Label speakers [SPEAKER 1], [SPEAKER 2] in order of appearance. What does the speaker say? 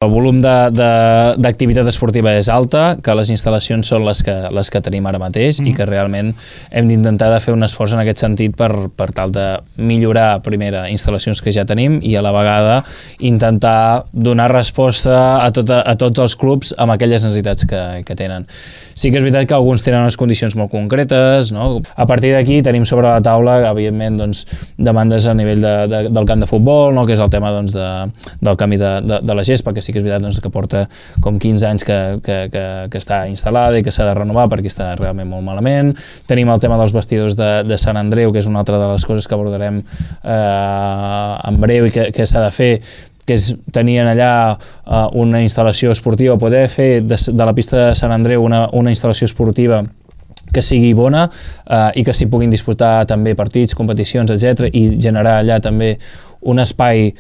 [SPEAKER 1] El volum d'activitat esportiva és alta, que les instal·lacions són les que tenim ara mateix i que realment hem d'intentar de fer un esforç en aquest sentit per tal de millorar, primera, instal·lacions que ja tenim i a la vegada intentar donar resposta a tots els clubs amb aquelles necessitats que tenen. Sí que és veritat que alguns tenen unes condicions molt concretes, no? A partir d'aquí tenim sobre la taula, evidentment, demandes a nivell del camp de futbol, no? Que és el tema del canvi de la gespa, que sí que és veritat que porta com 15 anys que està instal·lada i que s'ha de renovar perquè està realment molt malament. Tenim el tema dels vestidors de Sant Andreu, que és una altra de les coses que abordarem en breu i que s'ha de fer, que és tenir allà una instal·lació esportiva, poder fer de la pista de Sant Andreu una instal·lació esportiva que sigui bona i que s'hi puguin disputar també partits, competicions, etc. i generar allà també un espai